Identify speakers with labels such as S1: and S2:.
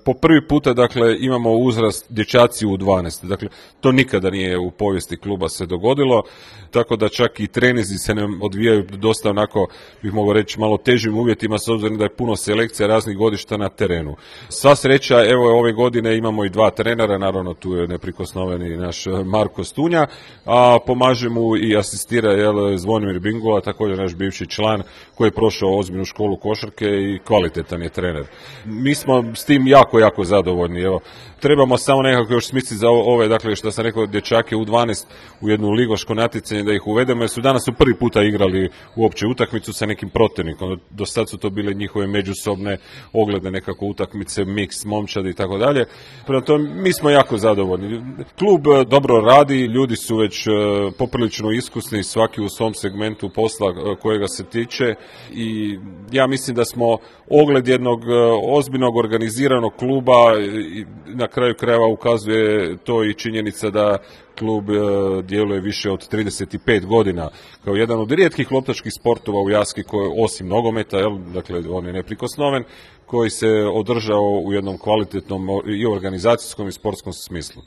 S1: Po prvi puta, dakle, imamo uzrast dječaci u 12. Dakle, to nikada nije u povijesti kluba se dogodilo, tako da čak i trenizi se ne odvijaju dosta onako, bih mogao reći, malo težim uvjetima, s obzirom da je puno selekcija raznih godišta na terenu. Sva sreća, evo ove godine imamo i 2 trenera, naravno tu je neprikosnoveni naš Marko Stunja, a pomaže mu i asistira Zvonimir Bingola, također naš bivši član koji je prošao ozbiljnu školu košarke i kvalitetan je trener. Mi smo s tim jako zadovoljni. Evo, trebamo samo nekako još smisliti za ove, dakle, što sam rekao, dječake u 12 u jednu ligoško natjecanje da ih uvedemo, jer su danas prvi puta igrali uopće utakmicu sa nekim protivnikom. Do sad su to bile njihove međusobne ogledne nekako utakmice, miks, momčadi i tako dalje. Prema tome, mi smo jako zadovoljni. Klub dobro radi, ljudi su već poprilično iskusni, svaki u svom segmentu posla kojega se tiče, i ja mislim da smo ogled jednog ozbiljnog organiziranog kluba, i na kraju krajeva ukazuje to i činjenica da klub djeluje više od 35 godina kao jedan od rijetkih loptačkih sportova u Jaski, koji, osim nogometa, dakle on je neprikosnoven, koji se održao u jednom kvalitetnom i organizacijskom i sportskom smislu.